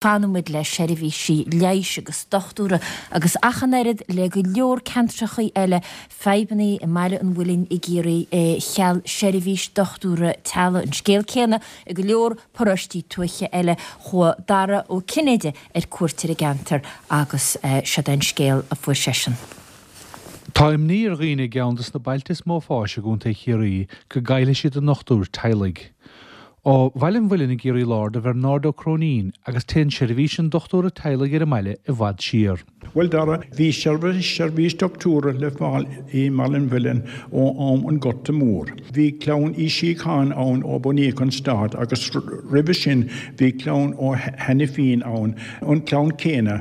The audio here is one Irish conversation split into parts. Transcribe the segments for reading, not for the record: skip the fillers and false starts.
Fanann muid le seirbhísí leighis agus dochtúra agus ach an oiread le go leor ceantrachaí eile, fadhbannaí i mBaile an Mhuilinn i gCiarraí cheal seirbhís dochtúra teaghlaigh. An scéal céanna i go leor paróistí tuaithe eile. Chuaigh Dara Ó Cinnéide ar cuairt ar an gceantar agus seod é an scéal a fuair seisean. Tá imní ar dhaoine i gceann de na bailte is mó fáis i gContae Chiarraí go gcaillfidh siad a ndochtúir teaghlaigh. Ó Bhaile an Mhuilinn i gCiarraí Láir do Bhernard Ó Cróinín agus téann seirbhís an dochtúra teaghlaigh ar an mbaile i bhfad siar. Bhuel Dara, bhí seirbhís doctúra le fáil i mBaile an Mhuilinn ó am an Ghorta Mhóir. Bhí clann Uí Shíocháin ann ó bunaíodh an stát agus roimhe sin bhí clann Ó hAinifín ann, an clann céanna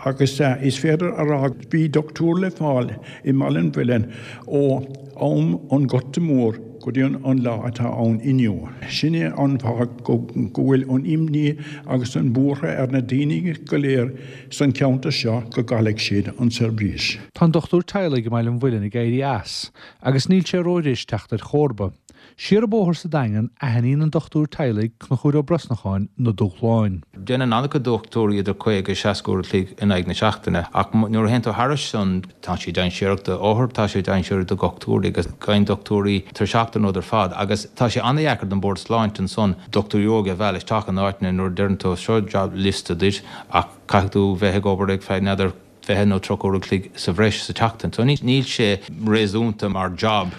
agus is féidir a rá bhí doctúir le fáil i mBaile an Mhuilinn ó am an Ghorta Mhóir go dtí an lá atá ann inniu. Sin é an fáth go bhfuil an imní agus an buartha ar na daoine go léir san cheantar seo go gcaillfidh siad an seirbhís. Tá an dochtúir teaghlaigh i mBaile an Mhuilinn ag éirí as agus níl sé ró-ghris teacht ar chomharba. Siar an bóthar sa Daingean, aithníonn an dochtúir teaghlaigh, Conchúr Ó Brosnacháin, na dúshláin. Déanann an-chuid dochtúirí idir 50, 60 uair a chloig in aghaidh na seachtaine ach nuair a théann tú thairis san, tá sé dainséarach do othair, tá sé dainséarach do dhochtúirí agus bíonn dochtúirí tuirseach den rud ar fad agus tá sé an-dheacair don Bord Sláinte ansan dochtúirí óga a mhealladh isteach in áiteanna nuair a deireann tú seo job liosta duit ach caithfidh tú bheith ag obair ag feadh n'fheadar 20 nó 30 uair a chloig sa bhreis sa tseachtain. So níl sé réasúnta mar job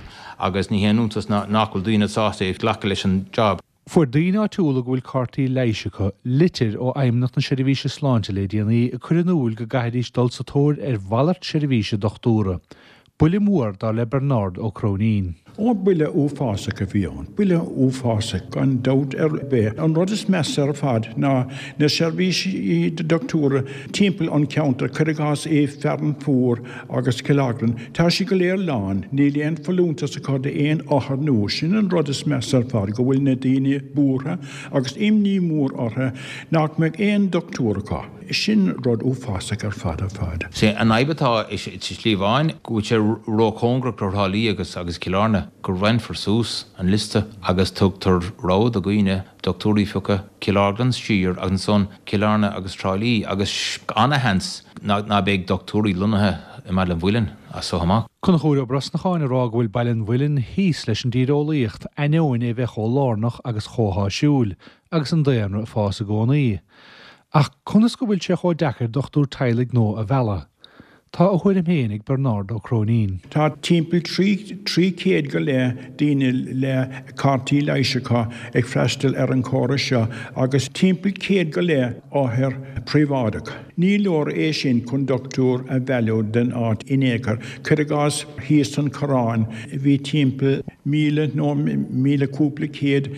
agus ní haon iontas nach bhfuil daoine sásta glacadh leis an job. Fuair daoine áitiúla go bhfuil cártaí leighis acu litir ó Fheidhmeannacht na Seirbhíse Sláinte le déanaí ag cur in iúil go gcaithfidís dul sa tóir ar mhalairt seirbhíse dochtúra. Buille mór, dar le Bernard Ó Cróinín. Ó, buille uafásach a bhí ann, buille uafásach gan dabht ar bith. An rud is measa ar fad ná na seirbhísí dochtúra timpeall an cheantair, cuir i gcás i Fearann Fuar agus Cill Orglan, tá siad go léir lán, níl aon folúntas acu d'aon othar nua. Sin an rud is measa ar fad, go bhfuil na daoine buartha agus imní mhór orthu nach mbeidh aon dochtúir acu. Sin rud uafásach ar fad ar fad. Sé an fhadhb atá i sa tSlí Bháin go bhfuil sé ró-chóngarach do Thrá Lí agus agus Cill Airne go roinnfear suas an liosta agus tugtar rogha do dhaoine dochtúirí a phiocadh, Cill Orglan siar agus ansan Cill Airne agus Trá Lí agus ana-sheans ná beidh dochtúirí lonnaithe i mBaile an Mhuilinn as so amach. Conchúr Ó Brosnacháin ag rá go bhfuil Baile an Mhuilinn thíos leis an dtíreolaíocht, ainneoin é bheith chomh lárnach agus chomh háisiúil, agus an daonra ag fás i gcónaí. Ach conas go bhfuil sé chomh deacair dochtúir teaghlaigh nua a mhealladh? Tá a thuairim féin ag Bernard Ó Cróinín. Tá timpeall 300 go leith daoine le cártaí leighis acu ag freastal ar an chóras seo agus timpeall 100 go leith othar príobháideach. Ní leor é sin chun dochtúir a mhealladh don áit in aon chor. Cuir i gcás thíos san Choireán bhí timpeall 1,000 nó 1,000 cúpla céad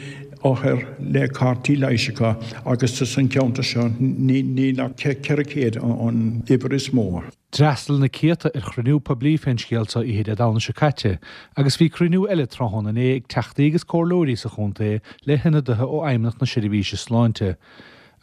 othar le cártaí leighis acu agus san cheantar seo níl ach 400 an uimhir is mó. D'fhreastail na céadta ar chruinniú poiblí fén scéal seo oíche Dé Domhnaigh seo caite agus bhí cruinniú eile tráthnóna inné ag teachtaí agus comhairleoirí sa chontae le hionadaithe ó Fheidhmeannacht na Seirbhíse Sláinte.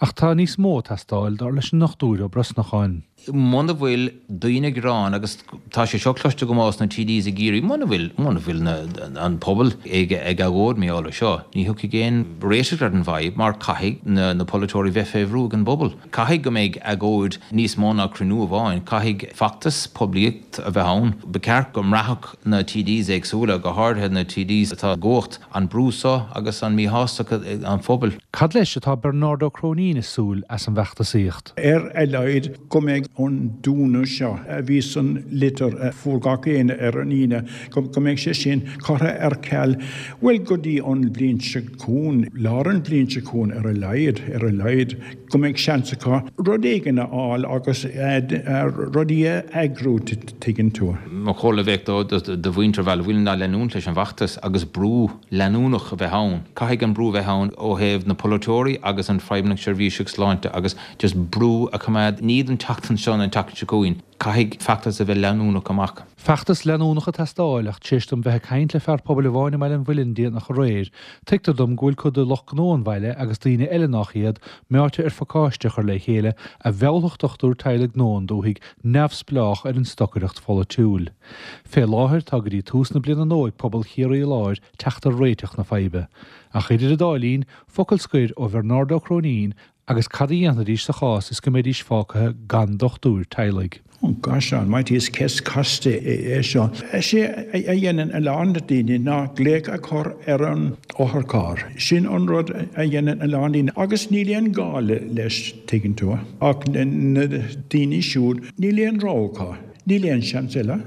Ach tá níos mó ag teastáil, dar leis an nDochtúir Ó Brosnacháin. Muna bhfuil daoine ag gearán, agus tá sé seo cloiste agam ós na TDs i gCiarraí, muna bhfuil, muna bhfuil na, an pobal ag, ag agóid mar gheall air seo, ní thiocfaidh aon réiteach ar an bhfadhb mar caithfidh na, na polaiteoirí bheith fé bhrú ag an bpobal. Caithfidh go mbeidh agóid níos mó ná cruinniú amháin, caithfidh feachtas poiblíocht a bheith ann. Ba cheart go mbraithfeadh na TDs éagsúla, go háirithe na TDs atá i gcumhacht, an brú seo agus an míshástacht an phobail. Cad leis atá Bernard Ó Cróinín ag súil as an bhfeachtasaíocht? Ar a laghad go mbeidh an dúnadh seo a bhí san litir a fuair gach éinne ar an Aoine, go mbeidh sé sin curtha ar ceal, bhuel, go dtí an bhliain seo chugainn, lár an bhliain seo chugainn ar a laghad, ar a laghad, go mbeidh seans acu rud éigin a fháil agus rudaí a eagrú, tuigeann tú. Mo chomhairle a bheadh do mhuintir Bhaile Mhuilinn ná leanúint leis an bhfeachtas agus brú leanúnach a bheith ann. Caithfidh an brú a bheith ann ó thaobh na polaiteoirí agus an Feidhmeannacht Seirbhíseach Sláinte agus just brú a choimeád, ní don tseachtain seo nó an tseachtain seo chugainn. Caithfidh feachtas a bheith leanúnach amach. Feachtas leanúnach ag teastáil ach tar éis dom bheith ag caint le fear pobail amháin i mBaile an Mhuilinn déanach aréir, tuigtear dom go bhfuil cuid de lucht gnó an bhaile agus daoine eile nách iad meáite ar phacáiste a chur le chéile a mheallfadh dochtúir teaghlaigh nua 'on dúthaigh neamhspleách ar an stocaireacht pholaitiúil. Fé láthair tá go dtí tús na bliana nua ag pobal Chiarraí Láir teacht ar réiteach na faidhbe. Ach idir an dá linn, focal scoir ó Bhernard Ó Cróinín. Agus cad a dhéanfaidís sa chás is go mbeidís fágtha gan dochtúir teaghlaigh? Oh gosh almighty, is ceist casta é seo. Is é a dhéanann a lán daoine ná glaoch a chur ar an otharcharr. Sin an rud a dhéanann a lán daoine agus níl aon ghá leis, tuigeann tú. Ach na daoine siúd, níl aon rogha acu, níl aon seans eile.